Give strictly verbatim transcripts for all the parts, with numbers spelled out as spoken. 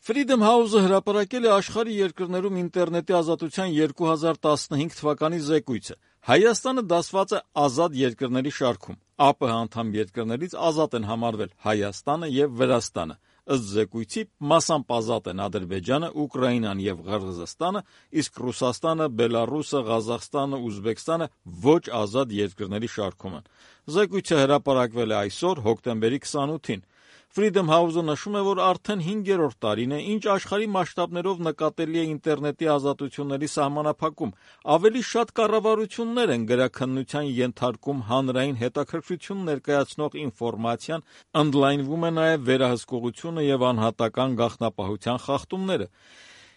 Freedom House-ը հրապարակել է աշխարհի երկրներում ինտերնետի ազատության երկու հազար տասնհինգ թվականի զեկույցը։ Հայաստանը դասված է ազատ երկրների շարքում։ ԱՊՀ անդամ երկրներից ազատ են համարվել Հայաստանը եւ Վրաստանը։ Ըստ զեկույցի մասամբ ազատ են Ադրբեջանը, Ուկրաինան եւ Ղրղզստանը, իսկ Ռուսաստանը, Բելարուսը, Ղազախստանը, Ուզբեկստանը ոչ ազատ երկրների շարքում են։ Զեկույցը հրապարակվել է այսօր, հոկտեմբերի քսանութին։ Freedom House-ը նշում է, որ արդեն հինգերորդ տարին է, ինչ աշխարհի մասշտաբներով նկատելի է ինտերնետի ազատությունների սահմանափակում։ Ավելի շատ կառավարություններ են գրաքննության ենթարկում հանրային հետաքրքրություն ներկայացնող ինֆորմացիան, ընդլայնվում է նաև վերահսկողությունը եւ անհատական գաղտնապահության խախտումները։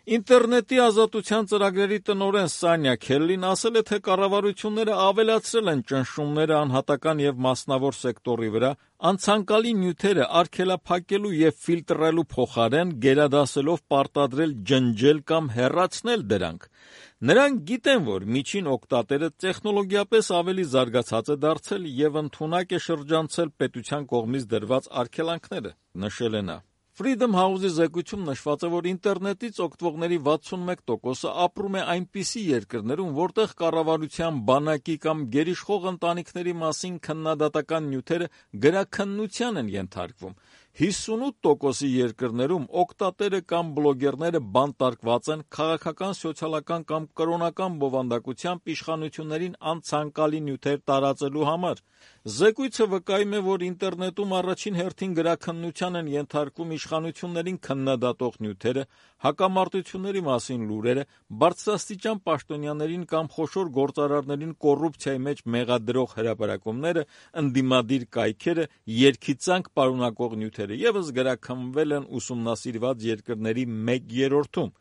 Ինտերնետի ազատության ծրագրերի տնօրեն Սանյա Քելլին ասել է, թե կառավարությունները ավելացրել են ճնշումները անհատական եւ մասնավոր սեկտորի վրա, անցանկալի նյութերը արգելափակելու եւ ֆիլտրելու փոխարեն գերադասելով պարտադրել ջնջել կամ հեռացնել դրանք։ Նրանք գիտեն, որ միջին օգտատերը տեխնոլոգիապես ավելի զարգացած է դարձել եւ ընդունակ է շրջանցել պետության կողմից դրված արգելանքները, նշել է նա։ Freedom House-ի զեկույցում նշված է, որ ինտերնետից օգտվողների վաթսունմեկ տոկոսը ապրում է այնպիսի երկրներում, որտեղ կառավարության բանակի կամ գերիշխող ընտանիքների մասին քննադատական նյութերը գրաքննության են ենթարկվում։ հիսունութ տոկոսի երկրներում օգտատերը կամ բլոգերները բանտարկված են քաղաքական, սոցիալական կամ կրոնական բովանդակությամբ իշխանություններին անցանկալի նյութեր տարածելու համար։ Զեկույցը վկայում է, որ ինտերնետում առաջին հերթին գրաքննության են ենթարկվում իշխանություններին քննադատող նյութերը, հակամարտությունների մասին լուրերը, բարձրաստիճան պաշտոնյաներին կամ խոշոր գործարարներին կոռուպցիայի մեջ մեղադրող հրապարակումները, ընդդիմադիր կայքերը, երգիծանք պարունակող նյութերը ևս գրաքննվել են ուսումնասիրված երկրների մեկ երրորդում։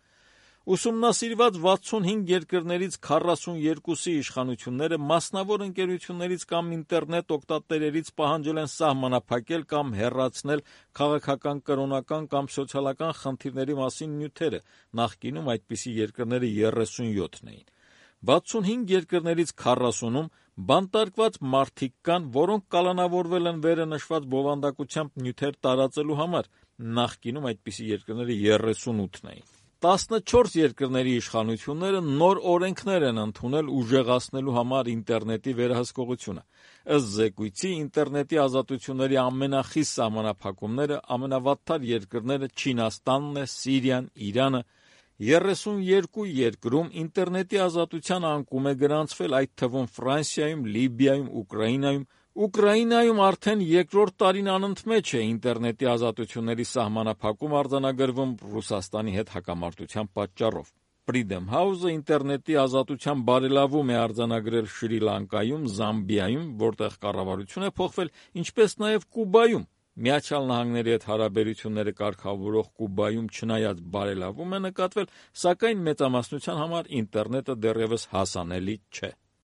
Ուսումնասիրված վաթսունհինգ երկրներից քառասունյոթի իշխանությունները մասնավոր ընկերություններից կամ ինտերնետ օգտատերերից պահանջել են սահմանափակել կամ հեռացնել քաղաքական, կրոնական կամ սոցիալական խնդիրների մասին նյութերը, նախկինում այդպիսի երկրները երեսունյոթն էին։ վաթսունհինգ երկրներից քառասունում բանտարկված մարդիկ կան, որոնք կալանավորվել են վերը նշված բովանդակությամբ նյութեր տարածելու համար, նախկինում այդպիսի երկրները երեսունութն էին։ տասնչորս երկրների իշխանությունները նոր օրենքներ են ընդունել ուժեղացնելու համար ինտերնետի վերահսկողությունը։ Ըստ զեկույցի, ինտերնետի ազատությունների ամենախիստ սահմանափակումները ամենավատթար երկրները Չինաստանն է, Սիրիան, Իրանը։ երեսունյոթ երկրում ինտերնետի ազատության անկում է գրանցվել, այդ թվում Ֆրանսիայում, Լիբիայում, Ուկրաինայում։ Ուկրաինայում արդեն երկրորդ տարին անընդմեջ է ինտերնետի ազատությունների սահմանափակում արձանագրվում Ռուսաստանի հետ հակամարտության պատճառով։ Freedom House-ը ինտերնետի ազատության բարելավում է արձանագրել Շրի Լանկայում, Զամբիայում, որտեղ կառավարություն է փոխվել, ինչպես նաև Կուբայում։ Միացյալ Նահանգների հետ հարաբերությունները կարգավորող Կուբայում չնայած բարելավում է նկատվել, սակայն մեծամասնության համար ինտերնետը դեռևս հասանելի չէ։